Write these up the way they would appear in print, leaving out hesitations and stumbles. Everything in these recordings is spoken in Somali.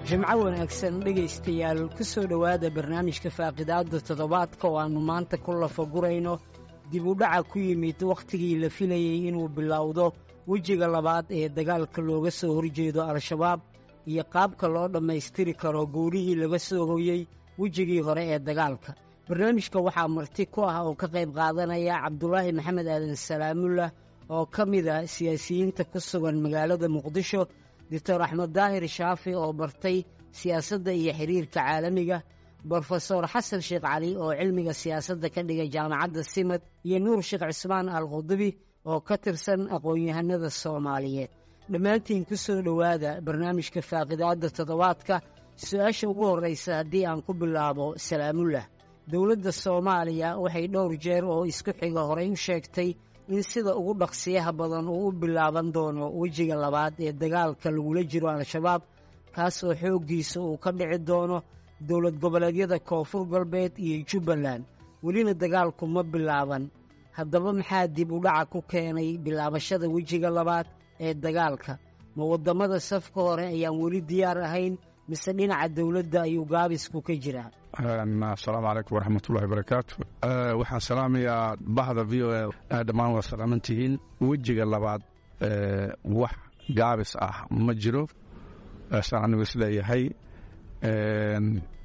Jimco wanaagsan dhegaystayaal, ku soo dhowaada barnaamijka faaqidaadda toddobaadka oo aannu maanta ku lafagurayno dib u dhaca ku yimid wakhtigii la filayey inuu bilowdo wejiga labaad ee dagaalka looga soo horjeedo Al-Shabaab iyo qaabka loo dhammaystiri karo guulihii laga soo hoyey wejigii hore ee dagaalka. Barnaamijka waxaa marti ku ah oo ka qayb qaadanaya Cabdulaahi Maxamed Aadan Salaamullah oo ka mid ah siyaasiyiinta ku sugan magaalada Muqdisho, Doctor Axmed Daahir Shaafi oo bartay siyaasadda iyo xiriirka caalamiga, Brofesor Xasan Sheekh Cali oo cilmiga siyaasadda ka dhigay jaamacadda Simad, iyo Nuur Sheekh Cismaan Al Qudubi oo ka tirsan aqoon-yahanada Soomaaliyeed. Dhammaantiin ku soo dhowaada barnaamijka faaqidaadda toddobaadka. Su-aasha ugu horraysa haddii aan ku bilaabo Salaamullah, dowladda Soomaaliya waxay dhowr jeer oo isku xiga horay u sheegtay in sida ugu dhaqsiyaha badan uu u bilaaban doono wejiga labaad ee dagaalka lagula jiro Al-Shabaab, kaasoo xooggiisa uu ka dhici doono dowlad goboleedyada Koonfur Galbeed iyo Jubbaland. Welina dagaalku ma bilaaban. Haddaba maxaa dib u dhaca ku keenay bilaabashada wejiga labaad ee dagaalka? Ma waddamada safka hore ayaan weli diyaar ahayn, mise dhinaca dowladda ayuu gaabisku ka jiraa? Asalaamu calaykum waraxmatullahi barakaatu. Waxaan salaamayaa bahda VOA dhammaan, waa salaamantihiin. Wejiga labaad wax gaabis ah ma jiro, saan anigu isleeyahay.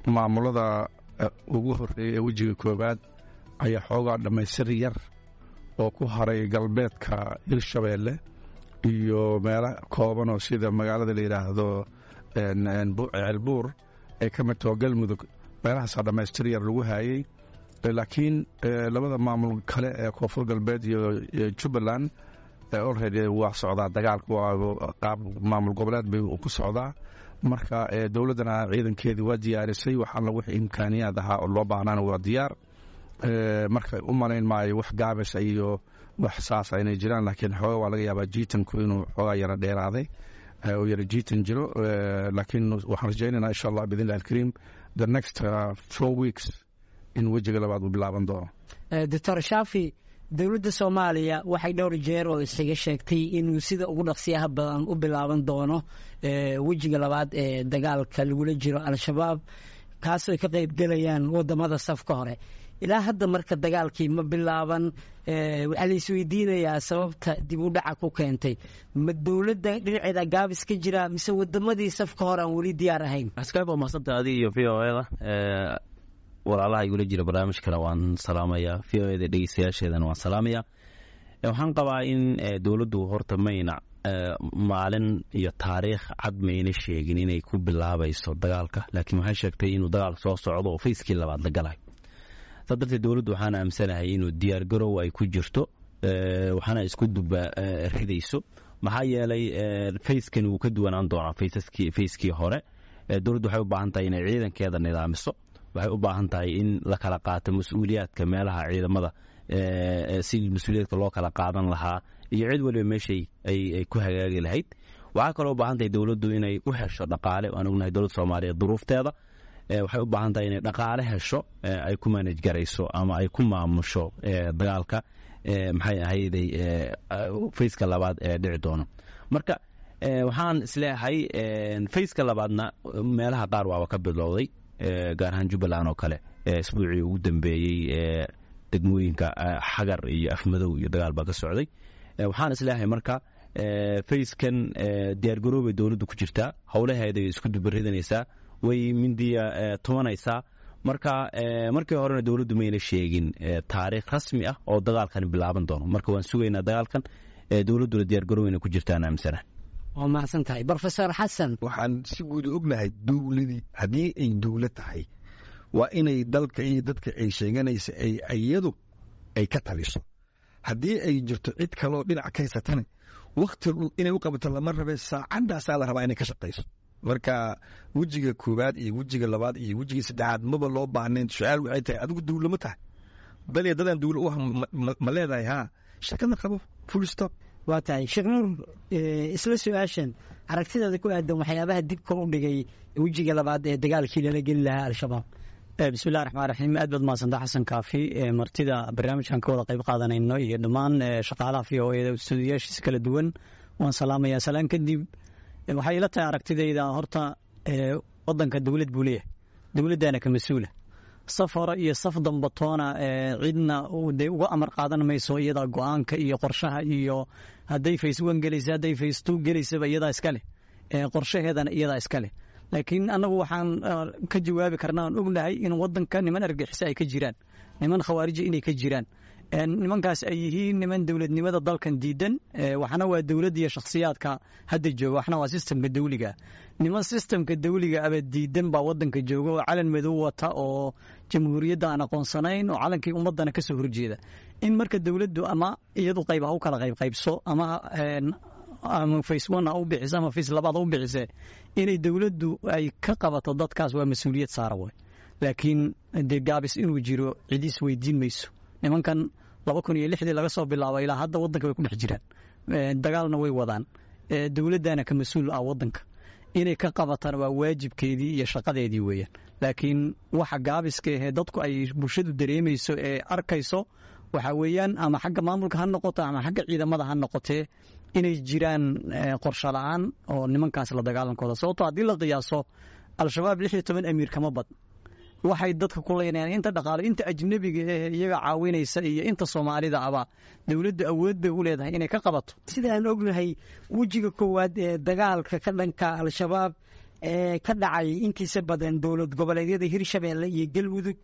Maamulada ugu horreeyay ee wejiga koowaad ayaa xoogaa dhammaystir yar oo ku haray galbeedka Hirshabeelle iyo meelo kooban oo sida magaalada la yidhaahdo Ceelbuur ay ka mid taho Galmudug, meelahaasaa dhammaystir yar lagu haayey. Laakiin labada maamul kale ee Koonfur Galbeed iyo Jubbaland already waa socdaa dagaalku, waa qaab maamul goboleed bay ku socdaa. Marka dowladdana ciidankeedii waa diyaarisay, wax alla wix imkaaniyaad ahaa oo loo baahnaana waa diyaar. Marka u malayn maayo wax gaabis iyo wax saasa inay jiraan, laakiin xooga waa laga yaabaa jiitanku inuu xoogaa yara dheeraaday oo yara jiitan jiro. Laakiin waxaan rajaynaynaa, insha Allah biidn illahi alkariim, the next 4 weeks in wejiga labaad uu bilaaban doono. Doctor Shaafi, dowladda Soomaaliya waxay dhowr jeer oo isaga sheegtay inuu sida ugu dhaqsiyaha badan u bilaaban doono wejiga labaad ee dagaalka lagula jiro Al-Shabaab, kaasoo ay ka qayb gelayaan waddamada safka hore. Ilaa hadda marka dagaalkii ma bilaaban. Waxaa la isweydiinayaa sababta dib u dhaca ku keentay. Ma dowladda dhinaceeda gaabis ka jira, mise wadamadii safka hore aan weli diyaar ahayn? Askaab, waa mahadsantaha adiga iyo VOA da. Walaalaha igula jira barnaamijkana waan salaamayaa, VOA da dhegeystayaasheedana waan salaamayaa. Waxaan qabaa in dowladdu horta mayna maalin iyo taariikh cad mayna sheegin inay ku bilaabayso dagaalka, laakiin waxay sheegtay inuu dagaal soo socdo oo phase-kii labaad la galayo. Saa darteed dowladdu waxaan aamsanahay inuu diyaargarow ay ku jirto, waxaana isku duba ridayso, maxaa yeelay phase-kani wuu ka duwanaan doonaa phase-kii hore. Dowladdu waxay u baahan tahay inay ciidankeeda nidaamiso, waxay u baahan tahay in la kala qaato mas-uuliyaadka meelaha ciidamada, sidii mas-uuliyaadka loo kala qaadan lahaa iyo cid waliba meeshay ay ku hagaagi lahayd. Waxaa kaloo u baahan tahay dowladdu inay u hesho dhaqaale. Waan ognahay dowladda Soomaaliyeed duruufteeda. Waxay u baahan tahay inay dhaqaale hesho ay ku manage garayso ama ay ku maamusho dagaalka, maxay ahayday, phase-ka labaad ee dhici doono. Marka waxaan isleeyahay phase-ka labaadna meelaha qaar waaba ka bilowday, gaar ahaan Jubbaland oo kale. Isbuucii ugu dambeeyey degmooyinka Xagar iyo Afmadow iyo dagaal baa ka socday. Waxaan isleeyahay marka phase-kan diyaargaroobay dowladdu ku jirtaa, howlaheeday isku dubaridanaysaa, way mindiya tumanaysaa. Marka markii horena dowladdu mayna sheegin taariikh rasmi ah oo dagaalkani bilaaban doono. Marka waan sugaynaa dagaalkan, dowladduna diyaargarowayna ku jirtaan aaminsana. Waa mahadsan tahay, Brofesor Xasan. Waxaan si guud ognahay dowladii haddii ay dowlad tahay waa inay dalka iyo dadka ay sheeganaysa ay iyadu ay ka taliso. Haddii ay jirto cid kaloo dhinac ka haysatana, wakti inay u qabato lama rabe, saacadaasaa la rabaa inay ka shaqayso. Marka wejiga koowaad iyo wejiga labaad iyo wejiga saddexaad maba loo baahnayn. Su-aal waxay tahay, adigu dowlama tahay bal dadaan dowla u ah ma leedahay? Haa, shakada qabo, full stop. Waa tahay. Sheekh Nuur, isla su-aashan, aragtidaada ku aadan waxyaabaha dibka u dhigay wejiga labaad ee dagaalkii lala geli lahaa Al-Shabaab. Bismillahi raxmaan raxiim. Aad baad mahadsantaa, Xasan Kaafi, martida barnaamijkan ka wada qayb qaadanayno iyo dhammaan shaqaalaha VOA da, stuudiyaashiisa kala duwan waan salaamayaa. Salaan kadib, waxay ila tahay aragtidayda, horta wadanka dowlad buu leeyahay, dowladdaana ka mas-uula. Saf hore iyo saf dambatoona cidna dee uga amar qaadan mayso. Iyadaa go-aanka iyo qorshaha, iyo hadday phase one gelaysa, hadday phase two gelaysaba, iyadaa iska leh, qorshaheedana iyadaa iska leh. Laakiin annagu waxaan ka jawaabi karnaa aan ognahay in wadanka niman argixisa ay ka jiraan, niman khawaarija inay ka jiraan, nimankaas ay yihiin niman dowladnimada dalkan diidan. Waxna waa dowladda iyo shakhsiyaadka hadda jooga, waxna waa sistemka dawliga. Niman sistemka dawliga aba diidan baa wadanka jooga oo calan madow wata oo jamhuuriyadda aan aqoonsanayn oo calankii ummadana kasoo horjeeda. In marka dowladdu ama iyadu qayb ha u kala qaybqaybso ama phase one ha u bixiso ama phase labaad ha u bixise, inay dowladdu ay ka qabato dadkaas waa mas-uuliyad saara way. Laakiin dee gaabis inuu jiro cid is weydiin mayso. Nimankan 2006dii laga soo bilaabo ilaa hadda waddanka way ku dhex jiraan, dagaalna way wadaan. Dowladdana ka mas-uul ah waddanka, inay ka qabatana waa waajibkeedii iyo shaqadeedii weeyaan. Laakiin waxa gaabiska ahee dadku ay bulshadu dareemayso ee arkayso waxaa weeyaan, ama xagga maamulka ha noqoto ama xagga ciidamada ha noqotee, inay jiraan qorshe la-aan oo nimankaas la dagaalankooda. Sababtoo haddii la qiyaaso, Al-Shabaab 16 amiir kama bad. Waxay dadka ku leynayaan, inta dhaqaalo, inta ajnebiga ee iyaga caawinaysa iyo inta Soomaalida aba, dowladdu awood bay u leedahay inay ka qabato. Sida aan ognahay, wejiga koowaad ee dagaalka ka dhanka Al-Shabaab ee ka dhacay intiisa badan dowlad goboleedyada Hirshabeelle iyo Galmudug,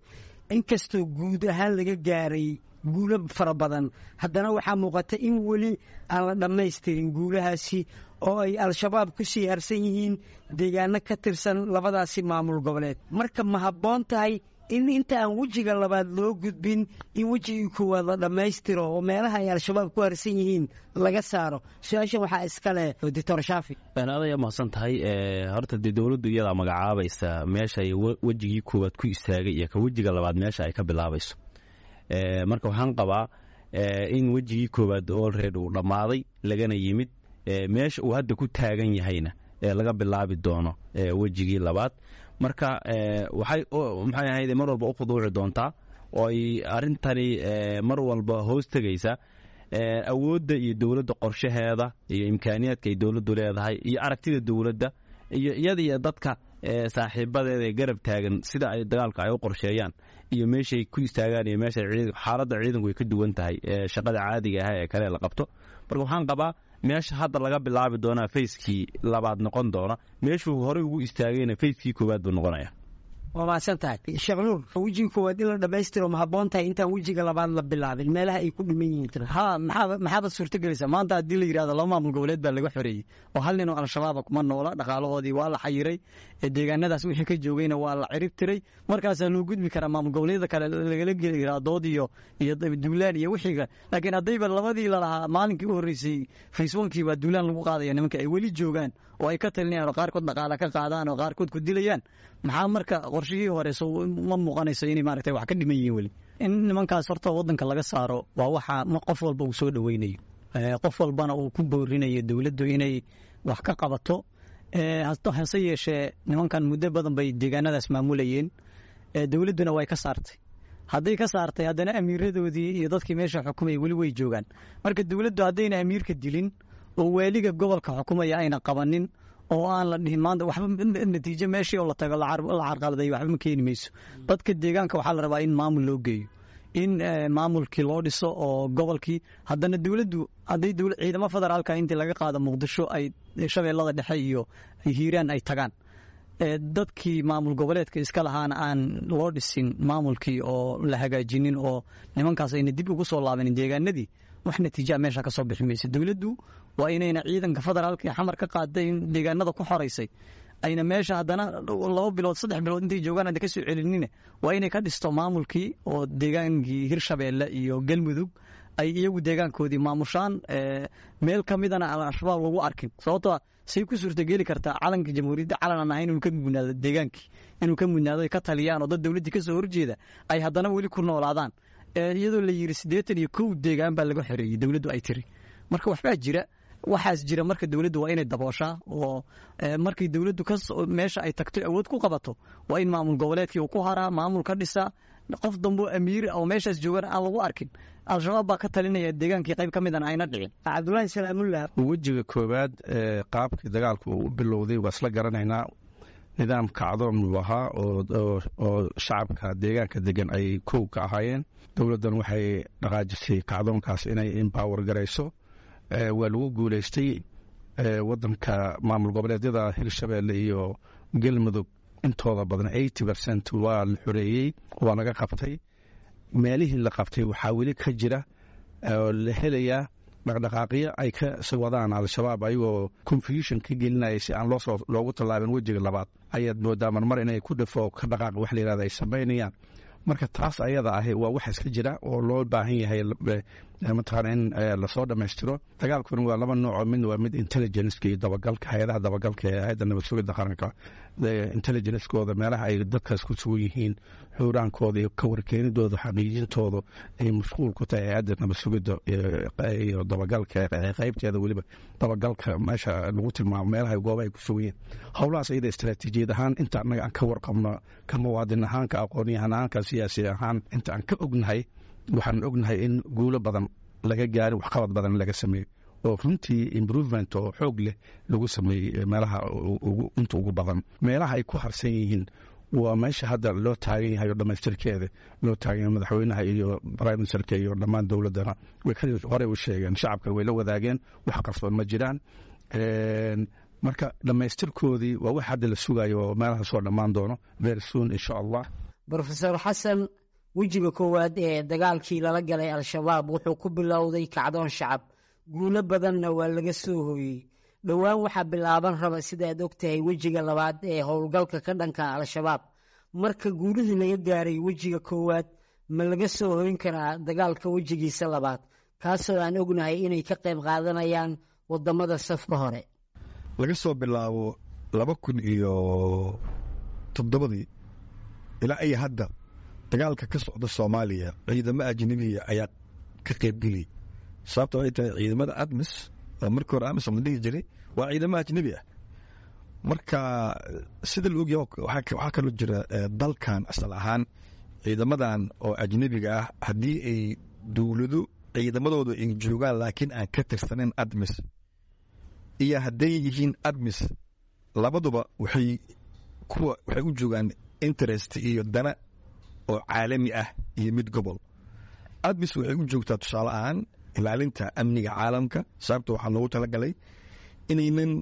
inkastoo guud ahaan laga gaaray guulo fara badan, haddana waxaa muuqata in weli aan la dhammaystirin guulahaasi oo ay Al-Shabaab ku sii harsan yihiin deegaano ka tirsan labadaasi maamul goboleed. Marka ma habboon tahay in inta aan wejiga labaad loo gudbin in wejigii koowaad la dhammaystiro oo meelaha ay Al-Shabaab ku harsan yihiin laga saaro? Su-aashan waxaa iska leh Doctor Shaafi. Aad mahadsan tahay. Horta dee dowladdu iyadaa magacaabaysa meesha ay wejigii koowaad ku istaagay iyo ka wejiga labaad meesha ay ka bilaabayso. Marka waxaan qabaa in wejigii koowaad already uu dhammaaday, lagana yimid meesha uu hadda ku taagan yahayna laga bilaabi doono wejigii labaad. Marka waxay, maxay ahayd, mar walba u khuduuci doontaa oo ay arrintani mar walba hoos tegaysa awoodda iyo dowladda qorshaheeda iyo imkaaniyaadka ay dowladdu leedahay iyo aragtida dowladda iyo iyada iyo dadka saaxiibadeeda ee garab taagan, sida ay dagaalka ay u qorsheeyaan iyo meeshay ku istaagaan iyo meesha xaaladda ciidanku ay ka duwan tahay shaqada caadiga ah ee kale la qabto. Marka waxaan qabaa meesha hadda laga bilaabi doonaa phase-kii labaad noqon doona, meeshuu horey ugu istaagayna phase-kii koowaad buu noqonaya. Waa mahadsan tahay, Sheekh Nuur. Wejiga koowaad in la dhammaystiro ma habboon tahay intaan wejiga labaad la bilaabin meelaha ay ku dhiman yihiin? Ha, maxaa maxaabad suurtagelaysaa maanta haddii la yidhahdo laba maamul goboleed baa laga xoreeyey oo hal nin oo Al-Shabaaba kuma noola, dhaqaalahoodii waa la xayiray, deegaanadaas wixii ka joogayna waa la cirib tiray, markaasaa loo gudbi karaa maamul goboleedyada kale lagala geli karaa dood iyo duulaan iyo wixiga. Laakiin haddayba labadii lalahaa maalinkii u horreysay phase one-kii baa duulaan lagu qaadaya, nimanka ay weli joogaan oo ay ka talinayaan oo qaarkood dhaqaala ka qaadaan oo qaarkood ku dilayaan, maxaa marka qorshihii hore soo ma muuqanayso inay maaragtay wax ka dhiman yihiin weli? In nimankaas horta waddanka laga saaro waa waxa qof walba uu soo dhoweynayo, qof walbana uu ku boorinayo dowladdu inay wax ka qabato. Hase yeeshee, nimankan muddo badan bay deegaanadaas maamulayeen, dowladduna way ka saartay. Hadday ka saartay, haddana amiiradoodii iyo dadkii meesha xukumayay weli way joogaan. Marka dowladdu haddayna amiirka dilin oo waaliga gobolka xukumaya ayna qabanin oo aan la dhihin maanta waxba natiijo, meeshii oo la tago la carqaladay waxba ma keeni mayso. Dadka deegaanka waxaa la rabaa in maamul loo geeyo, in maamulkii loo dhiso oo gobolkii. Haddana dowladdu hadday ciidamo federaalka intii laga qaado Muqdisho ay Shabeellada Dhexe iyo Hiiraan ay tagaan, dadkii maamul goboleedka iska lahaana aan loo dhisin maamulkii oo la hagaajinin oo nimankaas ayna dib ugu soo laabanin deegaanadii, wax natiijaa meesha ka soo bixi maysa. Dowladdu waa inayna ciidanka federaalka ee Xamar ka qaaday in deegaanada ku xoraysay ayna meesha haddana 2 bilood, 3 bilood intay joogaan hadda ka soo celinina. Waa inay ka dhisto maamulkii oo deegaankii Hirshabeelle iyo Galmudug ay iyagu deegaankoodii maamushaan, meel ka midana aan Al-Shabaab lagu arkin. Sababtoo say ku suurtageli kartaa calanka jamhuuriyadda calan aan ahayn inuu ka mudnaado deegaankii, inuu ka mudnaado, ay ka taliyaan oo dad dowladdii ka soo horjeeda ay haddana weli ku noolaadaan, iyadoo la yidhi 81 deegaan baa laga xoreeyey, dowladdu ay tiri? Marka waxbaa jira. Waxaas jira. Marka dowladdu waa inay dabooshaa oo markii dowladdu ka meesha ay tagto awood ku qabato, waa in maamul goboleedkii uu ku haraa, maamul ka dhisaa, qof dambo amiir oo meeshaas joogana aan lagu arkin Al-Shabaab baa ka talinaya deegaankii qayb ka midana ayna dhicin. Cabdulaahi Salaamullah. Wejiga koowaad ee qaabkii dagaalku uu u bilowday waa isla garanaynaa. Nidaam kacdoon buu ahaa oo shacabka deegaanka degan ay kow ka ahaayeen. Dowladdan waxay dhaqaajisay kacdoonkaas inay empower garayso. Waa lagu guuleystay. Wadanka maamul goboleedyada Hirshabeelle iyo Galmudug intooda badan 80% waa la xoreeyey, waa laga qabtay. Meelihii la qabtay waxaa weli ka jira oo la helayaa dhaqdhaqaaqyo ay ka wadaan Al-Shabaab, ayagoo confusion ka gelinaya si aan loosoo loogu tallaabin wejiga labaad. Ayaad moodaa marmar inay ku dhafo ka dhaqaaq wax la yirahda ay samaynayaan. Marka taas ayada ahi waa wax iska jira oo loo baahan yahay mataqaana in lasoo dhammaystiro. Dagaalkuna waa laba nooco: midna waa mid intelligence iyo dabagalka, hay-adaha dabagalka ee Hay'adda Nabad Sugidda Qaranka, intelligencekooda meelaha ay dadkaas ku sugan yihiin, xuuraankooda iyo kawarkeenidooda, xaqiijintooda ay mashquul ku tahay Hay'adda Nabad Sugidda iyo dabagalka qaybteeda, weliba dabagalka meesha lagu tilmaamo meelaha goobaha ay ku sugan yihiin. Howlahaas iyada istaraatiijiyad ahaan inta annaga aan ka warqabno, ka muwaadin ahaan, ka aqoonyahan ahaan, ka siyaasi ahaan, inta aan ka ognahay, waxaan ognahay in guulo badan laga gaarin, waxqabad badan laga sameeyey oo runtii improvement oo xoog leh lagu sameeyey meelaha inta ugu badan. Meelaha ay ku harsan yihiin waa meesha hadda loo taagan yahay oo dhammaystirkeeda loo taagan yahay. Madaxweynaha iyo prime ministerka iyo dhammaan dowladdana way horey u sheegeen, shacabka way la wadaageen, wax qarsoon ma jiraan. Marka dhammaystirkoodii waa wax hadda la sugayo oo meelaha soo dhammaan doono very soon, insha Allah. Brofesor Xasan, wejiga koowaad ee dagaalkii lala galay Al-Shabaab wuxuu ku bilowday kacdoon shacab, guulo badanna waa laga soo hooyey. Dhowaan waxaa bilaaban raba, sidaad og tahay, wejiga labaad ee howlgalka ka dhanka Al-Shabaab. Marka guulihii laga gaaray wejiga koowaad ma laga soo hoyn karaa dagaalka wejigiisa labaad, kaasoo aan ognahay inay ka qayb qaadanayaan wadamada safka hore? Laga soo bilaabo 2007-dii ilaa iyo hadda dagaalka ka socda Soomaaliya ciidamo ajnabiya ayaa ka qaybgeliyay. Sababta waxay tahay ciidamada ATMIS oo markii hore AMISOM la dhihi jiray waa ciidamo ajnabi ah. Marka sida la ogyahay, waxaa kaloo jira dalkan asal ahaan ciidamadan oo ajnabiga ah haddii ay dowlado ciidamadoodu ay joogaan laakiin aan ka tirsanayn ATMIS iyo hadday yihiin ATMIS, labaduba waxay kuwa waxay u joogaan interest iyo dana oo caalami ah iyo mid gobol. ATMIS waxay u joogtaa tusaale ahaan ilaalinta amniga caalamka, sababta waxaa loogu talagalay inaynan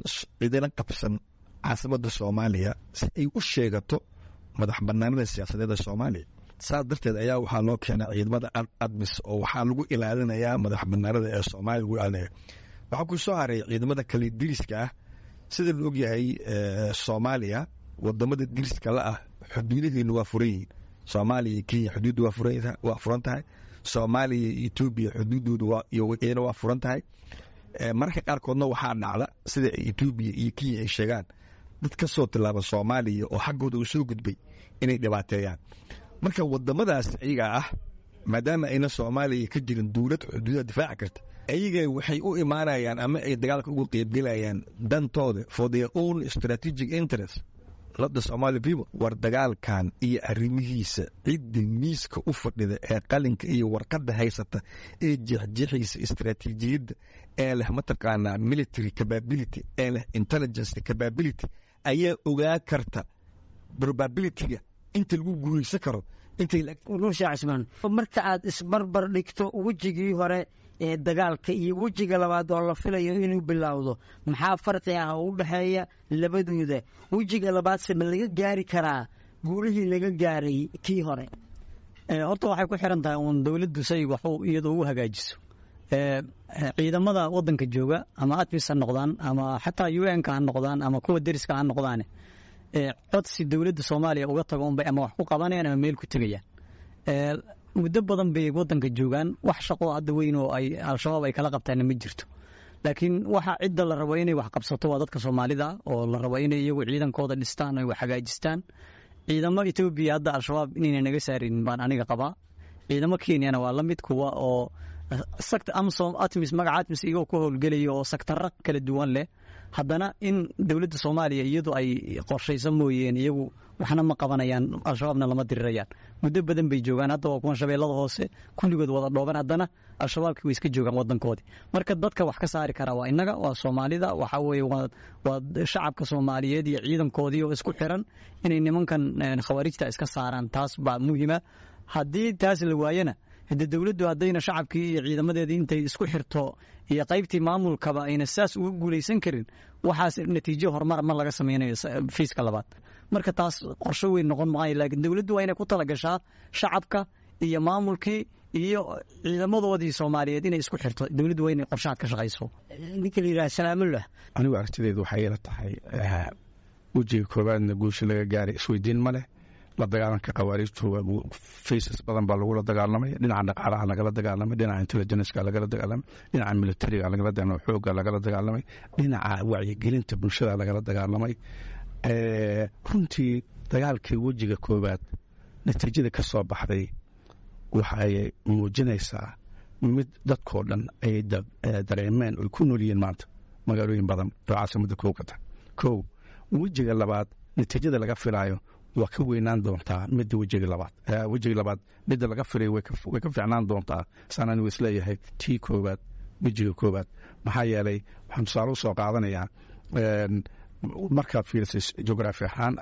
cidina qabsan caasimadda Soomaaliya si ay u sheegato madax banaanida siyaasadeeda Soomaaliya. Saas darteed ayaa waxaa loo keenaa ciidamada ATMIS oo waxaa lagu ilaalinayaa madax banaanida ee Soomaaliya lagu ilaalinaya. Waxaa ku soo haray ciidamada kale diriska ah. Sida la ogyahay, Soomaaliya wadamada diriska la ah xuduudaheenu waa furan yihiin. Soomaaliya iyo Kenya xuduuddu waa furan tahay. Soomaaliya iyo Etoobiya xuduuddoodu iyana waa furan tahay. Mararka qaarkoodna waxaa dhacda sida Etoobiya iyo Kenya ay sheegaan dad ka soo tilaaba Soomaaliya oo xaggooda uu soo gudbay inay dhibaateeyaan. Marka wadamadaas iyaga ah, maadaama ayna Soomaaliya ka jirin dowlad xuduudaha difaaci karta, ayaga waxay u imaanayaan ama ay dagaalka uga qeybgelayaan dantooda, for their own strategic interest, not the Somali people. War dagaalkan iyo arrimihiisa cidda miiska u fadhida ee qalinka iyo warqadda haysata ee jeexjeexaysa istaraatiijiyadda ee leh mataqaanaa military capability ee leh intelligence capability ayaa ogaa karta probabilityga inta lagu guuleysan karo intay. Nuur Sheekh Cismaan, marka aad isbarbar dhigto wejigii hore ee dagaalka iyo wejiga labaad oo la filayo inuu bilowdo, maxaa farqi ah oo u dhexeeya labadooda? Wejiga labaadse ma laga gaari karaa guulihii laga gaaray kii hore? Horta waxay ku xiran tahay uun dowladdu say waxu iyadoo u hagaajiso. Ciidamada wadanka jooga, ama ATMIS ha noqdaan ama xataa UN-ka ha noqdaan ama kuwa deriska ha noqdaane, codsi dowladda Soomaaliya uga tago unbay ama wax ku qabanayaan ama meel ku tegayaan. Muddo badan bay wadanka joogaan, wax shaqo hadda weyn oo ay Al-Shabaab ay kala qabtaanna ma jirto. Laakiin waxa cidda la rabo inay wax qabsato waa dadka Soomaalida oo la rabo inay iyagu ciidankooda dhistaan, ay wax hagaajistaan. Ciidamo Etoobiya hadda Al-Shabaab inayna naga saarin baan aniga qabaa. Ciidamo Kenyana waa la mid, kuwa oo Sector AMISOM, ATMIS, magaca ATMIS iyagoo ku howlgelaya oo sectaro kala duwan leh, haddana in dowladda Soomaaliya iyadu ay qorshayso mooyeen, iyagu waxna ma qabanayaan, Al-Shabaabna lama dirirayaan. Muddo badan bay joogaan hadda, waa kuwan Shabeellada Hoose kulligood wada dhooban, haddana Al-Shabaabkii way iska joogaan wadankoodii. Marka dadka wax ka saari karaa waa innaga, waa Soomaalida, waxaa weeye waa shacabka Soomaaliyeed iyo ciidankoodii oo isku xiran inay nimankan khawaarijta iska saaraan. Taas baa muhiima. Haddii taas la waayana, hade dowladdu haddayna shacabkii iyo ciidamadeedii intay isku xirto iyo qaybtii maamulkaba ayna saas uga guulaysan karin, waxaas natiijo horumar ma laga sameynayo phase-ka labaad. Marka taas qorsho weyn noqon maayo, laakiin dowladdu waa inay ku talagashaa shacabka iyo maamulkii iyo ciidamadoodii Soomaaliyeed inay isku xirto. Dowladdu waa inay qorshahaad ka shaqayso. Ninka la yidhaha Salaamullah. Anigu aragtideedu waxay ila tahay, wejiga koowaadna guusha laga gaaray isweydiin ma leh. La dagaalanka khawaariijtu phases badan baa lagula dagaalamay. Dhinaca dhaqaalaha lagala dagaalamay, dhinaca intelligence-ka lagala dagaalamay, dhinaca militariga lagala dagaalamay, xoogga lagala dagaalamay, dhinaca wacyigelinta bulshada lagala dagaalamay. Runtii dagaalkii wejiga koowaad natiijada ka soo baxday waxay muujinaysaa mid dadkoo dhan ay dareemeen oy ku nool yihiin maanta magaalooyin badan oo caasimadda kow ka tahay. Kow, wejiga labaad natiijada laga filaayo waa ka weynaan doontaa midda wejiga labaad. Wejiga labaad midda laga filayo way ka fiicnaan doontaa, saan anigu isleeyahay, tii koowaad, wejiga koowaad. Maxaa yeelay, waxaan tusaale u soo qaadanayaa, markaad fiirisay geography ahaan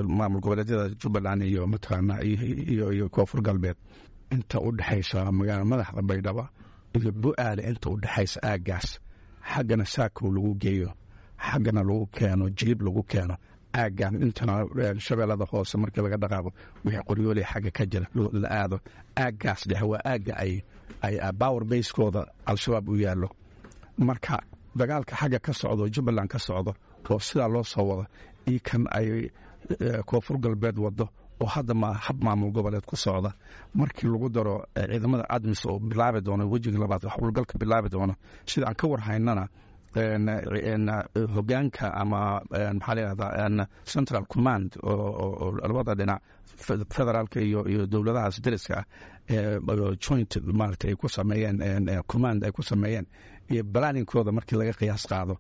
maamul goboleedyada Jubbaland iyo mataqaana iyo Koonfur Galbeed, inta u dhexaysa magaala madaxda Baydhaba iyo Bu-aale, inta u dhexaysa aaggaas, xaggana Saakow lagu geeyo, xaggana lagu keeno Jilib lagu keeno, aaggan intana Shabeellada Hoose markii laga dhaqaaqo wixii Qoryooley xagga ka jira la aado, aaggaas dhexe waa aagga ay power base-kooda Al-Shabaab u yaallo. Marka dagaalka xagga ka socdo, Jubbaland ka socdo, oo sidaa loo soo wado, iyo kan ay Koonfur Galbeed wado oo hadda ma hab maamul goboleed ku socda, markii lagu daro ciidamada ATMIS oo bilaabi doono wejiga labaad howlgalka bilaabi doono, sida aan ka war haynana hogaanka ama maxaa la yidhahdaa central command oo labada dhinac, federaalka iyo dowladahaas dariska ah, joint maarata ay ku sameeyeen, command ay ku sameeyeen iyo planningkooda, markii laga qiyaas qaado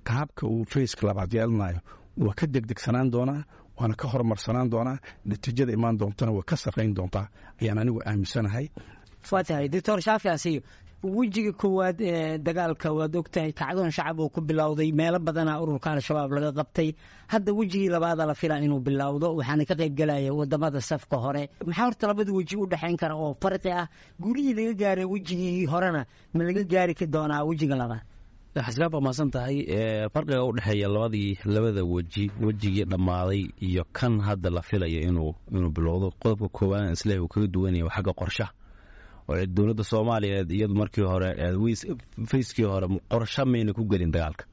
qaabka uu phase-ka labaad yeelanayo, waa ka degdegsanaan doonaa, waana ka horumarsanaan doonaa, natiijada imaan doontana waa ka sarrayn doontaa ayaan anigu aaminsanahay. Waa tahay, Doctor Shaafi Asiyo. Wejiga koowaad ee dagaalka waad ogtahay kacdoon shacab uu ku bilowday, meelo badana ururka Al-Shabaab laga qabtay. Hadda wejigii labaada la filaa inuu bilowdo, waxaana ka qayb gelaya wadamada safka hore. Maxaa horta labada weji u dhexayn kara oo farqi ah? Gurihii laga gaaray wejigii horena ma laga gaari doonaa wejiga labaad? Xasgaab, baa mahadsan tahay. Farqiga u dhexeeya labada weji, wejigii dhammaaday iyo kan hadda la filayo inuu bilowdo, qodobka koowaad isleeyahay uu kaga duwanaya waa xagga qorshaha, oo dowladda Soomaaliyeed iyadu markii hore, phase-kii hore, qorsho mayna ku gelin dagaalka.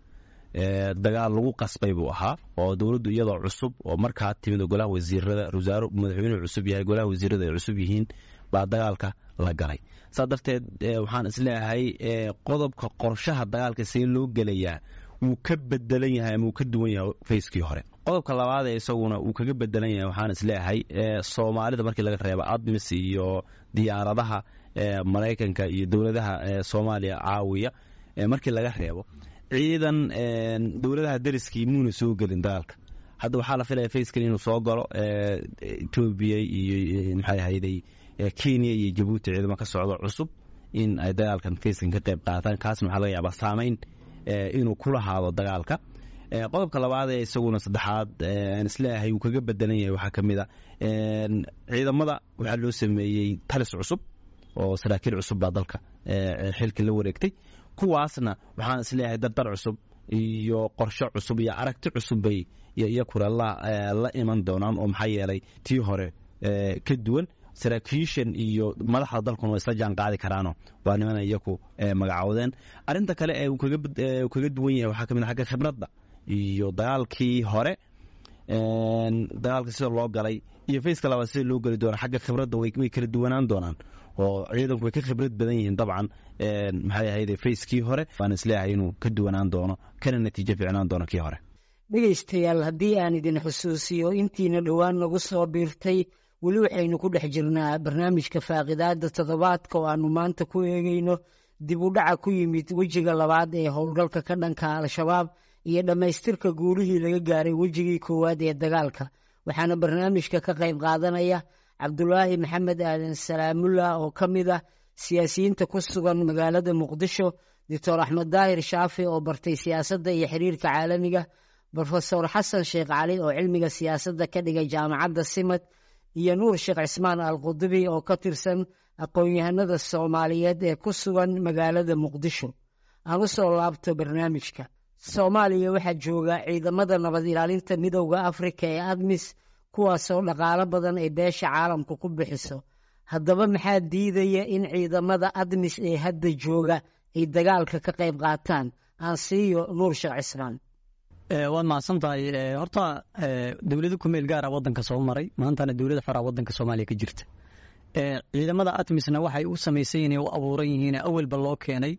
Dagaal lagu qasbay buu ahaa, oo dowladdu iyadoo cusub oo markaa timid oo golaha wasiirada, wasaaro madaxweynuhu cusub yahay, golaha wasiirada ay cusub yihiin, baa dagaalka la galay. Saa darteed waxaan isleeyahay qodobka qorshaha dagaalka see loo gelayaa wuu ka bedelan yahay ama wuu ka duwan yahay phase-kii hore. Qodobka labaad ee isaguna uu kaga bedelan yahay, waxaan isleeyahay Soomaalida markii laga reebo ATMIS iyo diyaaradaha Maraykanka iyo dowladaha Soomaaliya caawiya markii laga reebo, ciidan dowladaha dariskii muuna soo gelin dagaalka. Hadda waxaa la filaya phase-kan inuu soo galo Etoobiya iyo maxay ahayday Kenya iyo Jabuuti, ciidamo ka socdo cusub in ay dagaalkan phase-kan ka qayb qaataan. Kaasna waxaa laga yaabaa saameyn inuu ku lahaado dagaalka. Qodobka labaad ee isaguna saddexaad aan isleeyahay uu kaga bedelan yahay waxaa ka mid a, ciidamada waxaa loo sameeyey talis cusub oo saraakiil cusub baa dalka xilka la wareegtay. Kuwaasna waxaan isleeyahay dardar cusub iyo qorshe cusub iyo aragti cusub bay iyakuna la iman doonaan, oo maxaa yeelay tii hore ka duwan. Saraakiishan iyo madaxda dalkuna waa isla jaan qaadi karaano, waa niman iyaku magacoodeen. Arrinta kale ee uu kaga duwan yahay waxaa ka mid a xagga khibradda iyo dagaalkii hore, dagaalka sida loo galay iyo phase-ka labaad sida loo geli doona, xagga khibradda way kala duwanaan doonaan, oo ciidanku way ka khibrad badan yihiin dabcan maxay ahayd phase-kii hore. Waan isleeyahay inuu ka duwanaan doono kana natiijo fiicnaan doono kii hore. Dhegaystayaal, haddii aan idin xusuusiyo intiina dhowaan nagu soo biirtay, Weli waxaynu ku dhex jirnaa barnaamijka faaqidaada toddobaadka oo aanu maanta ku eegeyno dib u dhaca ku yimid wejiga labaad ee howlgalka ka dhanka Al-Shabaab iyo dhammaystirka guulihii laga gaaray wejigii koowaad ee dagaalka. Waxaana barnaamijka ka qayb qaadanaya Cabdulaahi Maxamed Aadan Salaamullah oo ka mid ah siyaasiyiinta ku sugan magaalada Muqdisho, Doctor Axmed Daahir Shaafi oo bartay siyaasadda iyo xiriirka caalamiga, Brofesor Xasan Sheekh Cali oo cilmiga siyaasadda ka dhigay jaamacadda Simad, iyo Nuur Sheekh Cismaan Alqudubi oo ka tirsan aqoon-yahanada Soomaaliyeed ee ku sugan magaalada Muqdisho. Aan u soo laabto barnaamijka. Soomaaliya waxaa jooga ciidamada nabad ilaalinta Midowda Afrika ee ADMIS, kuwaasoo dhaqaalo badan ay beesha caalamka ku bixiso. Haddaba maxaa diidaya in ciidamada ADMIS ee hadda jooga ay dagaalka ka qayb qaataan? Aan siiyo Nuur Sheekh Cismaan. Waad mahadsan tahay. Horta dowlado ku meel gaara waddanka soo maray, maantana dowlada xoraa waddanka Soomaaliya ka jirta. Ciidamada ATMISna waxay u samaysan yihiin, u abuuran yihiin, awalba loo keenay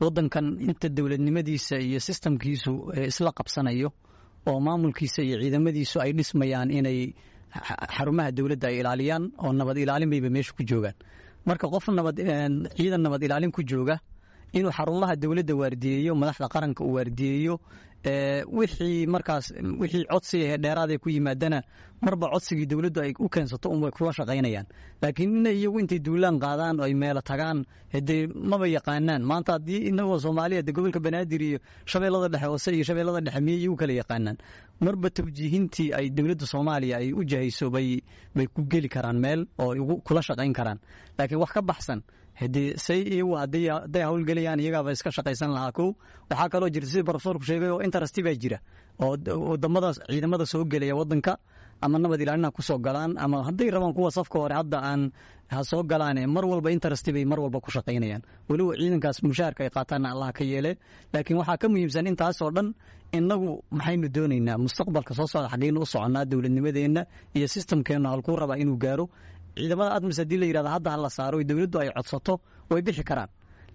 waddankan inta dowladnimadiisa iyo sistamkiisu isla qabsanayo oo maamulkiisa iyo ciidamadiisu ay dhismayaan, inay xarumaha dowladda ay ilaaliyaan oo nabad ilaalin bayba meesha ku joogaan. Marka qof nabad ciidan nabad ilaalin ku jooga inuu xarumaha dowladda waardiyeeyo, madaxda qaranka uu waardiyeeyo, wixii markaas wixii codsi ee dheeraad ku yimaadana marba codsigii dowladdu ay u keensato unbay kula shaqaynayaan. Laakiin inay iyagu intay duulaan qaadaan oo ay meelo tagaan, hadee maba yaqaanaan. Maanta haddii inagoo Soomaaliya de gobolka Banaadir iyo Shabeellada Dhexe hoose iyo Shabeellada Dhexe miyay iyagu kala yaqaanaan? Marba tawjiihintii ay dowladda Soomaaliya ay u jahayso bay ku geli karaan meel oo igu kula shaqayn karaan, laakiin wax ka baxsan haddii say iyagu hadday howlgelayaan iyagaaba iska shaqaysan lahaa. Kow, waxaa kaloo jirta sida profesorku sheegay oo interest baa jira oo wadamada ciidamada soo gelaya waddanka ama nabad ilaalina kusoo galaan ama hadday rabaan kuwa safka hore hadda aan ha soo galaane, mar walba interest bay mar walba ku shaqaynayaan, weliba ciidankaas mushaharka ay qaataanna Allah ka yeele. Laakiin waxaa ka muhiimsan intaasoo dhan, innagu maxaynu doonaynaa mustaqbalka soo socda? Xaggeynu u soconnaa? Dowladnimadeenna iyo sistamkeennu halkuu rabaa inuu gaaro? Ciidamada ADMIS haddii la yidhahdo hadda ha la saaro, dowladdu ay codsato, way bixi karaan.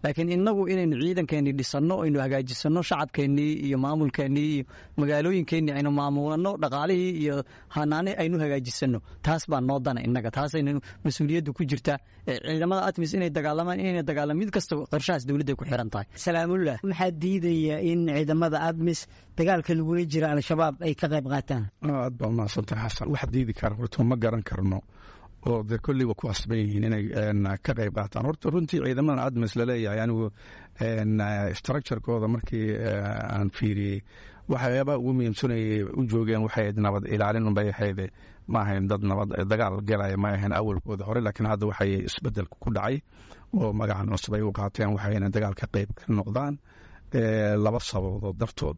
Laakiin innagu inaynu ciidankeennii dhisanno, aynu hagaajisanno shacabkeennii iyo maamulkeennii iyo magaalooyinkeennii, aynu maamulanno dhaqaalihii iyo hanaane aynu hagaajisanno, taas baa noo dana innaga, taasaynu mas-uuliyaddu ku jirtaa. Ciidamada ATMIS inay dagaalamaan, inayna dagaalamaan, mid kasta qorshahaas dowladda ku xiran tahay. Salaamullah, maxaa diidaya in ciidamada ADMIS dagaalka lagula jira Al-Shabaab ay ka qayb qaataan? Aad baa umahadsantahay, Xasan. Wax diidi kara horta ma garan karno, oo dee kolley waa ku asban yihiin inay ka qayb qaataan. Horta runtii ciidamadan ADMIS laleeyahay, anigu structurekooda markii aan fiiriyey, waxyaabaha ugu muhiimsanayay u joogeen waxay ahayd nabad ilaalin unbay ahayd, ma ahayn dad nabad dagaal galaya ma ahayn awalkooda hore. Laakiin hadda waxay isbedelka ku dhacay oo magacan cusub ay u qaateen waxayna dagaal ka qayb ka noqdaan laba sababood dartood.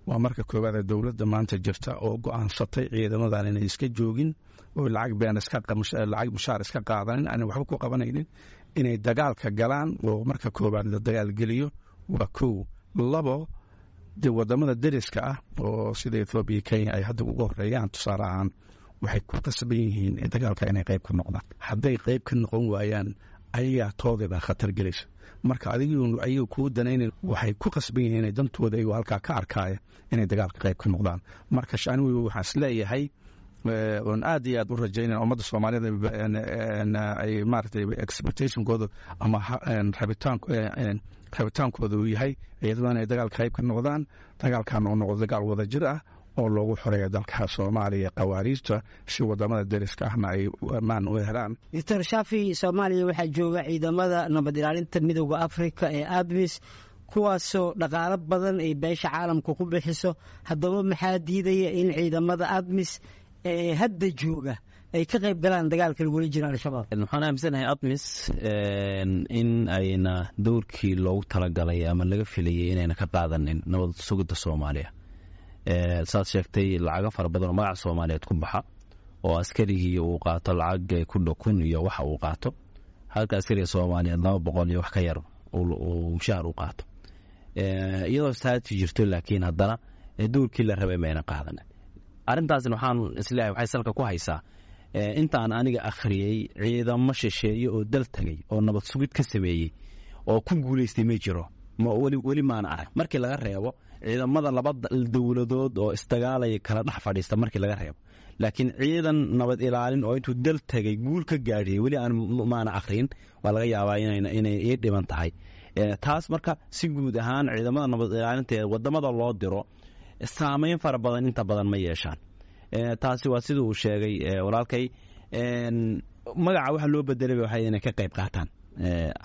Waa marka koowaad dowladda maanta jirta oo go-aansatay ciidamadan inay iska joogin oo lacag been lacag mushaar iska qaadanin, aanay waxba ku qabanaynin, inay dagaalka galaan oo marka koowaad la dagaalgeliyo waa kow. Labo, dee wadamada deriska ah oo sida Ethoobiya, Kenya ay hadda ugu horeeyaan tusaale ahaan, waxay ku qasban yihiin dagaalka inay qayb ka noqdaan. Hadday qayb ka noqon waayaan, ayagaa tooda baa khatar gelaysa. Marka adigu ayaga kuu danaynan, waxay ku qasban yihiin inay dantooda iyagu halkaa ka arkaaya inay dagaalka qayb ka noqdaan. Marka anigu waxaan isleeyahay oon aad iyo aad u rajaynaya ummadda Soomaalida ay maaragtay expectationkooda ama rabitaankooda uu yahay ciidamadan ay dagaalka qayb ka noqdaan, dagaalkan oo noqdo dagaal wada jir ah oo loogu xoreeyo dalka Soomaaliya khawaariijta, si wadamada deriska ahna ay ammaan u helaan. Doctor Shaafi, Soomaaliya waxaa jooga ciidamada nabad ilaalinta Midowda Afrika ee ADMIS, kuwaasoo dhaqaalo badan ay beesha caalamka ku bixiso. Haddaba maxaa diidaya in ciidamada ADMIS ee hadda jooga ay ka qayb galaan dagaalka lagula jiro Al-Shabaab? Waxaan aaminsanahay ADMIS in ayna dowrkii loogu talagalay ama laga filayay inayna ka qaadanin nabad sugidda Soomaaliya. Saad sheegtay, lacago fara badan oo magaca Soomaaliyeed ku baxa oo askarigii uu qaato lacag ku dhow 1000 iyo waxa uu qaato, halka askariga Soomaaliyeed 200 iyo wax ka yar uu mushaar u qaato, iyadoo saati jirto, laakiin haddana dowrkii la rabay mayna qaadanin. Arrintaasna waxaan isleeyahay waxay salka ku haysaa intaan aniga akhriyey, ciidamo shisheeye oo dal tagay oo nabad sugid ka sameeyey oo ku guulaystay ma jiro, weli maana arag, markii laga reebo ciidamada laba dowladood oo isdagaalaya kala dhex fadhiista markii laga reebo. Laakiin ciidan nabad ilaalin oo intuu dal tegay guul ka gaadhiyey weli aan maana akhriin. Waa laga yaabaa inay ii dhiban tahay taas. Marka si guud ahaan ciidamada nabad ilaalinta ee wadamada loo diro saameyn fara badan inta badan ma yeeshaan. Taasi waa sida uu sheegay walaalkay. Magaca waxa loo bedelay waxay inay ka qayb qaataan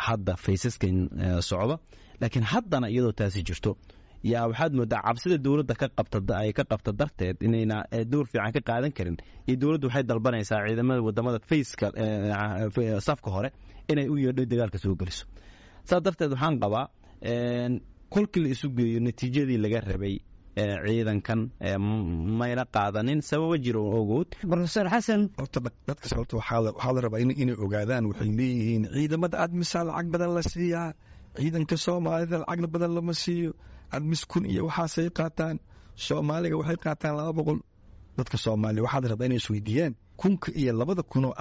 hadda faysaskan socda. Laakiin haddana iyadoo taasi jirto yaa waxaad moodaa cabsida dowladda ka qabta ay ka qabta darteed inayna door fiican ka qaadan karin, iyo dowladdu waxay dalbanaysaa ciidamada wadamada fayska safka hore inay u yeedho dagaalka soo geliso. Saas darteed waxaan qabaa kolkii la isu geeyo natiijadii laga rabay ciidankan mayna qaadanin sababo jiro ogood. Profesor Xasan. Horta dadka sababta waxaa la rabaa inay ogaadaan, waxay leeyihiin ciidamada ATMIS-a lacag badan la siiyaa, ciidanka Soomaalida lacagna badan lama siiyo. ATMIS 1000 iyo waxaasay qaataan, Soomaaliga waxay qaataan 200. Dadka Soomaaliya waxaa la rabaa inay isweydiiyaan 1000-ka iyo 2000 oo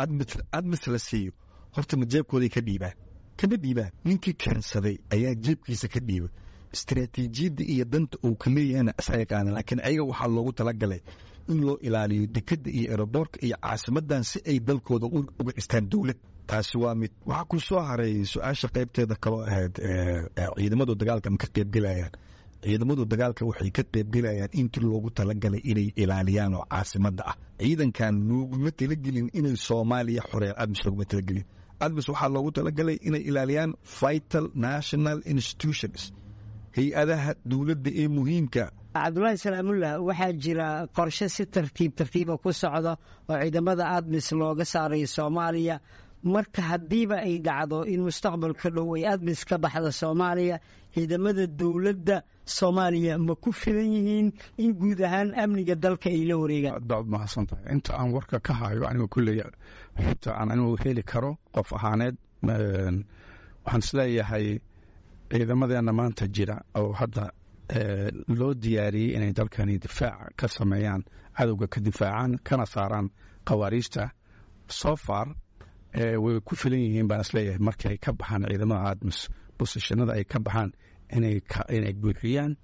ATMIS la siiyo horta ma jeebkooday ka dhiibaan? Kama dhiibaan. Ninkii keensaday ayaa jeebkiisa ka dhiiba. Istaraatiijiyadda iyo danta uu ka leeyahana isa yaqaana, laakiin ayaga waxaa loogu talagalay in loo ilaaliyo dekadda iyo airport-ka iyo caasimadan si ay dalkooda uga dhistaan dowlad. Taasi waa mid. Waxaa ku soo haray su-aasha qaybteeda kaloo ahayd ciidamadu dagaalka ma ka qaybgelayaan? Ciidamadu dagaalka waxay ka qaybgelayaan intii loogu talagalay inay ilaaliyaan oo caasimadda ah. Ciidankan looguma talagelin inay Soomaaliya xoreeyaan. ATMIS looguma talagelin. ATMIS waxaa loogu talagalay inay ilaaliyaan vital national institutions, hay-adaha dowladda ee muhiimka. Cabdulaahi Salaamullah, waxaa jira qorshe si tartiib tartiiba ku socda oo ciidamada ATMIS looga saarayo Soomaaliya. Marka haddiiba ay dhacdo in mustaqbalka dhow ay ATMIS ka baxda Soomaaliya, ciidamada dowladda Soomaaliya ma ku filan yihiin in guud ahaan amniga dalka ay la wareegaan? Aad baad mahadsan tahay. Inta aan warka ka hayo aniga kulley, xogta aan anigu heli karo qof ahaaneed, waxaan isleeyahay ciidamadeena maanta jira oo hadda loo diyaariyey inay dalkani difaac ka sameeyaan, cadowga ka difaacaan kana saaraan khawaariijta, so far way ku filan yihiin baan isleeyahay. Markii ay ka baxaan ciidamada ATMIS position-ada ay ka baxaan, inay buuxiyaan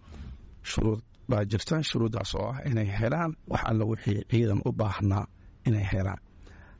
shuruud baa jirta, shuruuddaas oo ah inay helaan wax alla wixii ciidan u baahnaa inay helaan.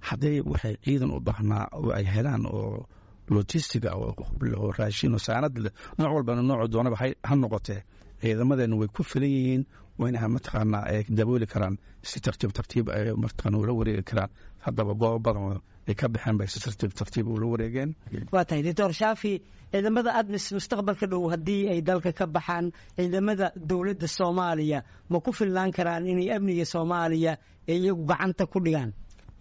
Hadday waxay ciidan u baahnaa oo ay helaan oo logistic-ga oo hub leh oo raashin oo saanad leh, nooc walbana noocu doonaba ha noqotee, ciidamadeenu way ku filan yihiin, wayna mataqaanaa ay dabooli karaan, si tartiib tartiib ay mataqaana ula wareegi karaan. Haddaba goobo badan ay ka baxeen bay si tartiib tartiib ula wareegeen. Waa tahay, Doctor Shaafi. Ciidamada ATMIS mustaqbalka dhow haddii ay dalka ka baxaan, ciidamada dowladda Soomaaliya ma ku filnaan karaan inay amniga Soomaaliya ee iyagu gacanta ku dhigaan?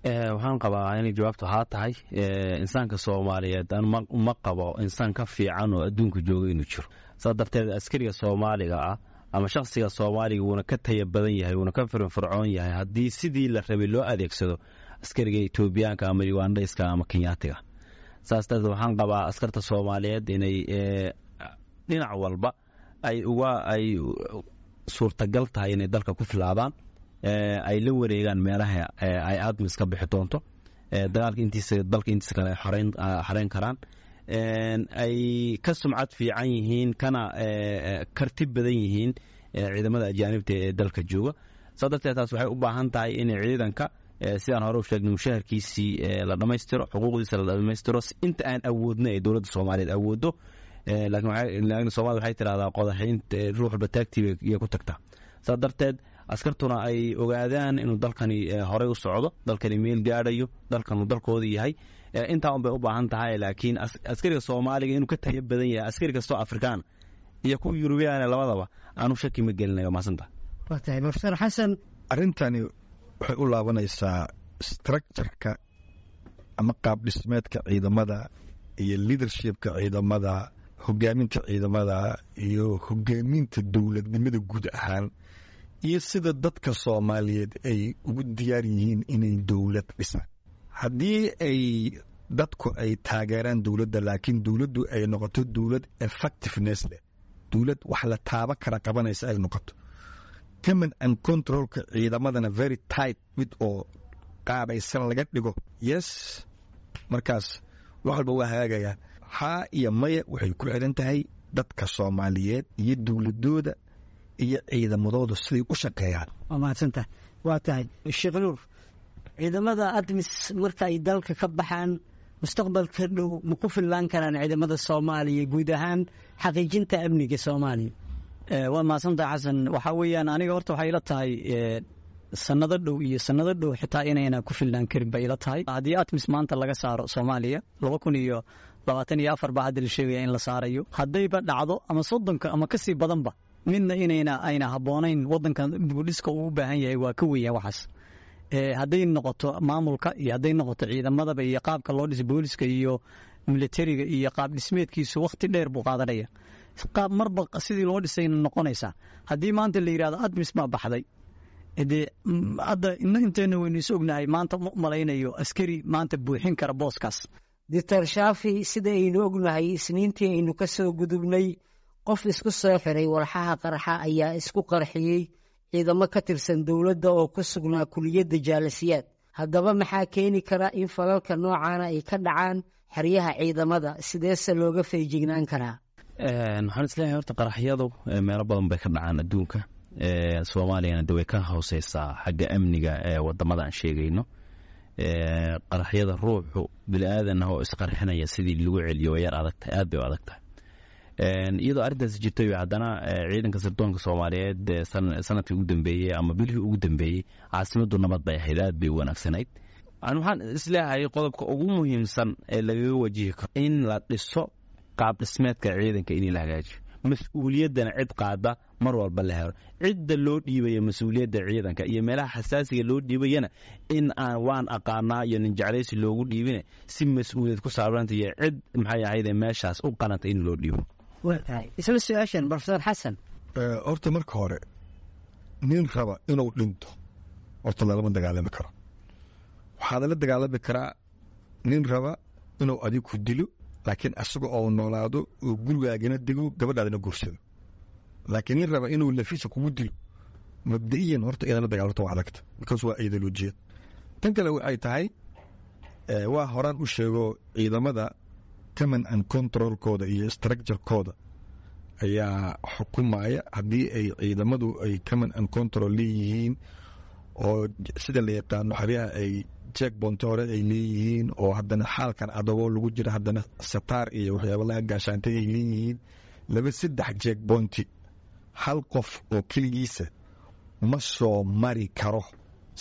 Waxaan qabaa inay jawaabtu haa tahay. Insaanka Soomaaliyeed ma qabo insaan ka fiican oo adduunka jooga inuu jiro. Saas darteed askariga Soomaaliga ah ama shakhsiga Soomaaliga wuuna ka taya badan yahay, wuuna ka firfircoon yahay haddii sidii la rabay loo adeegsado askariga Etoobiyaanka ama Ugandayska ama Kenyaatiga. Saas darteed waxaan qabaa askarta Soomaaliyeed inay dhinac walba ay uga ay suurtagal tahay inay dalka ku filaadaan, ay la wareegaan meelaha ay ATMIS ka bixi doonto, dagaalka intiisa dalka intiisa kale ay xoreyn karaan, ay ka sumcad fiican yihiin kana karti badan yihiin ciidamada ajaanibta ee dalka jooga. Saa darteed taas waxay u baahan tahay in ciidanka, sidaan hore u sheegnay, mushaharkiisii la dhammaystiro, xuquuqdiisa la dhammaystiro inta aan awoodno ee dowladda Soomaaliyeed awooddo. Laakiin Soomaalida waxay tidhahdaa qodaxaynta ruux walba taagtii bay ku tagtaa. Saa darteed askartuna ay ogaadaan inuu dalkani horey u socdo, dalkani meel gaadhayo, dalkanu dalkooda yahay. Intaa un bay u baahan tahay. Laakiin askariga Soomaaliga inuu ka tayo badan yahay askari kastoo Afrikaan iyo kuwa Yurubiyaana labadaba aanu shaki ma gelinayo. Maasanta. Waa tahay, Profesor Xasan. Arrintani waxay u laabanaysaa structure-ka ama qaab dhismeedka ciidamada iyo leadership-ka ciidamada, hogaaminta ciidamada iyo hogaaminta dowladnimada guud ahaan, iyo sida dadka Soomaaliyeed ay ugu diyaar yihiin inay dowlad dhisaan. Haddii ay dadku ay taageeraan dowladda, laakiin dowladdu ay noqoto dowlad effectiveness leh, dowlad wax la taaba kara qabanaysa ay noqoto, command and control-ka ciidamadana very tight mid oo qaabaysan laga dhigo, yes, markaas wax walba waa hagaagayaan. Haa iyo maya waxay ku xiran tahay dadka Soomaaliyeed iyo dowladooda iyo ciidamadooda siday u shaqeeyaan. Waa mahadsantahay. Waa tahay, Sheekh Nuur. Ciidamada ATMIS marka ay dalka ka baxaan mustaqbalka dhow, ma ku fillaan karaan ciidamada Soomaaliya guud ahaan xaqiijinta amniga Soomaaliya? Waa mahadsantahay, Xasan. Waxaa weeyaan, aniga horta waxay ila tahay sanado dhow iyo sanado dhow xitaa inayna ku filnaan karin bay ila tahay. Haddii ATMIS maanta laga saaro Soomaaliya, 2024 baa hadda la sheegaya in la saarayo, haddayba dhacdo ama 30-ka ama kasii badanba, midna inayna ayna habboonayn. Waddanka dibudhiska uu u baahan yahay waa ka weyn waxaas. Hadday noqoto maamulka iyo hadday noqoto ciidamadaba iyo qaabka loo dhisay booliska iyo militariga iyo qaab dhismeedkiisu, wakhti dheer buu qaadanaya. Qaab marba sidii loo dhisayna noqonaysaa. Haddii maanta la yidhahdo ATMIS baa baxday, dee hadda inteena waynu is ognahay, maanta ma malaynayo askari maanta buuxin kara booskaas. Doctor Shaafi, sida aynu ognahay, Isniintii aynu ka soo gudubnay qof isku soo xiray walxaha qarxa ayaa isku qarxiyey ciidamo ka tirsan dowladda oo ku sugnaa kuliyadda Jaalasiyaad. Haddaba maxaa keeni kara in falalka noocaana ay ka dhacaan xeryaha ciidamada? Sideese looga feejignaan karaa? Waxaan isleeyahay horta qaraxyadu meelo badan bay ka dhacaan adduunka. Soomaaliyana de way ka hooseysaa xagga amniga ee wadamada aan sheegayno. Qaraxyada ruuxu bini aadan ah oo isqarxinaya sidii lagu celiyo way yar adagtahay, aad bay u adag tahay. Iyadoo arrintaasi jirtay, haddana ciidanka sirdoonka Soomaaliyeed sanadkii ugu dambeeyey ama bilihii ugu dambeeyey caasimaddu nabad bay ahayd, aad bay u wanaagsanayd. Waxaan isleeyahay qodobka ugu muhiimsan ee lagaga wajihi karo in la dhiso qaab dhismeedka ciidanka, in la hagaajiyo, mas-uuliyaddana cid qaada mar walba la helo. Cidda loo dhiibaya mas-uuliyadda ciidanka iyo meelaha xasaasiga loo dhiibayana in aan waan aqaanaa iyo nin jeclaysi loogu dhiibine, si mas-uuliyad ku saabanta iyo cid maxay ahayde meeshaas u qalanta in loo dhiibo. Waa tahay. Isla su-aashan, Professor Xasan. Horta marka hore, nin raba inuu dhinto horta lalama dagaalami karo. Waxaad la dagaalami karaa nin raba inuu adig ku dilo, laakiin asaga oo noolaado oo gurigaagana dego, gabadhaadana guursado. Laakiin nin raba inuu lafiisa kugu dilo, mabda'iyan horta inaad la dagaalamto waa adagta, because waa ideolojiyad. Tan kale waxay tahay, waa horaan u sheego, ciidamada command and controlkooda iyo structurekooda ayaa xukumaya. Haddii ay ciidamadu ay command and control leeyihiin oo sida la yaqaano xeryaha ay checkpoint hore ay leeyihiin, oo haddana xaalkan adagoo lagu jira haddana sataar iyo waxyaaba laga gaashaantay ay leeyihiin, laba saddex checkpointi hal qof oo keligiisa ma soo mari karo,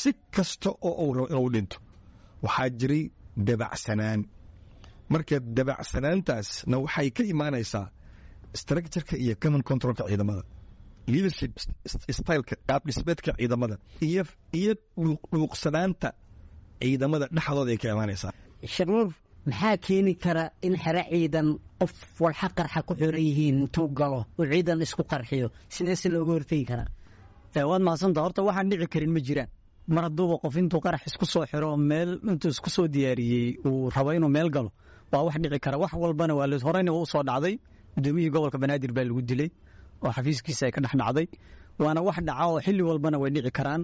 si kasta oo uu rabo inuu dhinto. Waxaa jiray dabacsanaan. Marka dabacsanaantaasna waxay ka imaanaysaa structureka iyo command controlka ciidamada, leadership styleka, qaab dhismeedka ciidamada iyo dhuuqsanaanta ciidamada dhexdooda ay ka imaanaysaa. Sharuur, maxaa keeni kara in xero ciidan qof walxa qarxa ku xiran yihiin intuu galo uu ciidan isku qarxiyo? Sideese looga hortegi karaa? Waad mahadsantaa. Horta waxaan dhici karin ma jiraan. Mar hadduuba qof intuu qarax isku soo xiro, meel intuu isku soo diyaariyey, uu rabo inuu meel galo, waa wax dhici kara. Wax walbana waa horeyna waa usoo dhacday. Gudoomiyihii gobolka Banaadir baa lagu dilay oo xafiiskiisa ay ka dhex dhacday. Waana wax dhaca oo xilli walbana way dhici karaan.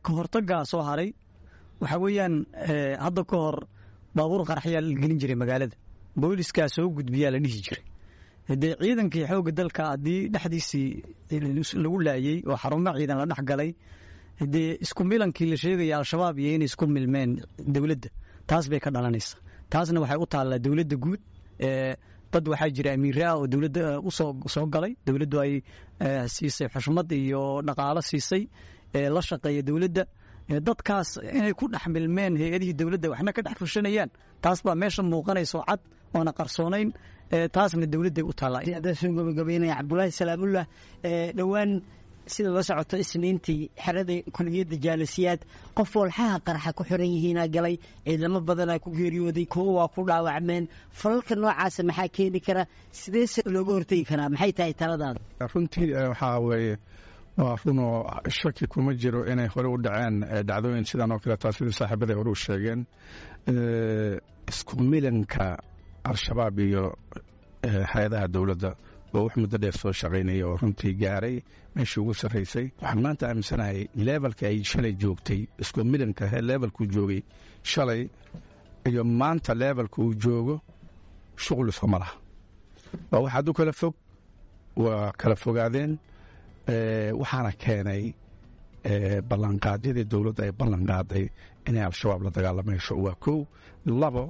Ka hortagaa soo haray waxaa weeyaan, hadda ka hor baabuur qaraxyaa la gelin jiray magaalada, booliskaa soo gudbiyaa la dhihi jiray. Dee ciidankii xoogga dalka haddii dhexdiisii lagu laayey oo xarumo ciidan la dhex galay, dee isku milankii la sheegaya Al-Shabaab iyo inay isku milmeen dowladda, taas bay ka dhalanaysaa. Taasna waxay u taallaa dowladda guud. Dad waxaa jira amiire ah oo dowladda usoo soo galay, dowladdu ay siisay xushmad iyo dhaqaalo siisay, la shaqeeya dowladda. Dadkaas inay ku dhex milmeen hay-adihii dowladda, waxna ka dhex fushanayaan, taas baa meesha muuqanayso cad oona qarsoonayn. Taasna dowladday u taallaa. Haddaan soo gabagabeynaya, Cabdulaahi Salaamullah, dhowaan sida la socoto Isniintii xerada kuliyadda Jaalasiyaad qof walxaha qarxa ku xiran yihiinaa galay, ciidamo badanaa ku geeriyooday, kuwo waa ku dhaawacmeen. Falalka noocaasa maxaa keeni kara? Sideese looga hortegi karaa? Maxay tahay taladaada? Runtii waxaa weeye, waa runoo shaki kuma jiro inay hore u dhaceen dhacdooyin sidan oo kale. Taa sidii saaxiibaday hore u sheegeen, isku milanka Al-Shabaab iyo hay-adaha dowladda oo wax muddo dheer soo shaqaynaya oo runtii gaaray meeshii ugu sarraysay. Waxaan maanta aaminsanahay levelka ay shalay joogtay, isku milanka levelkuu joogay shalay iyo maanta levelka uu joogo, shuqul iskuma laha. Waa wax aad u kala fog, waa kala fogaadeen. Waxaana keenay Ballanqaadyadii dowladda ay ballanqaaday inay Al-Shabaab la dagaalamayso waa kow. Labo,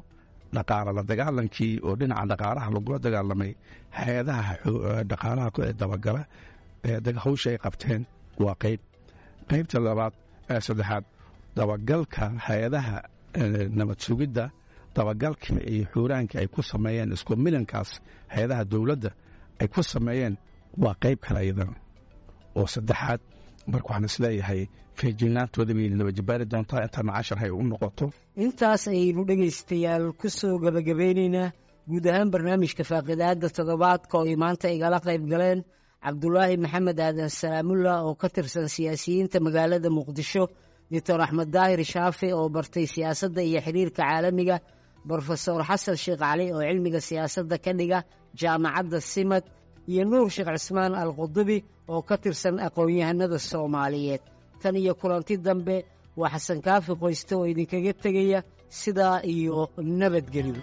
dhaqaala la dagaalankii oo dhinaca dhaqaalaha lagula dagaalamay, hay-adaha dhaqaalaha dabagala hawsha ay qabteen waa qayb. Qaybta labaad, saddexaad, dabagalka hay-adaha nabad sugidda, dabagalka iyo xuuraanka ay ku sameeyeen isku milankaas hay-adaha dowladda ay ku sameeyeen waa qayb kale iyadana oo saddexaad. Marka waxaan isleeyahay feejignaantooda bay nabajabaari doontaa intaana cashar hay u noqoto. Intaas ayaynu dhegaystayaal ku soo gabagabeynaynaa guud ahaan barnaamijka faaqidaadda toddobaadka oo ay maanta igala qayb galeen Cabdulaahi Maxamed Aadan Salaamullah oo ka tirsan siyaasiyiinta magaalada Muqdisho, Doctor Axmed Daahir Shaafi oo bartay siyaasadda iyo xiriirka caalamiga, Brofesor Xasan Sheekh Cali oo cilmiga siyaasadda ka dhiga jaamacadda Simad, iyo Nuur Sheekh Cismaan Alqudubi oo ka tirsan aqoon-yahanada Soomaaliyeed. Tan iyo kulanti dambe, waa Xasan Kaafi Qoyste oo idinkaga tegaya sidaa iyo nabadgelyo.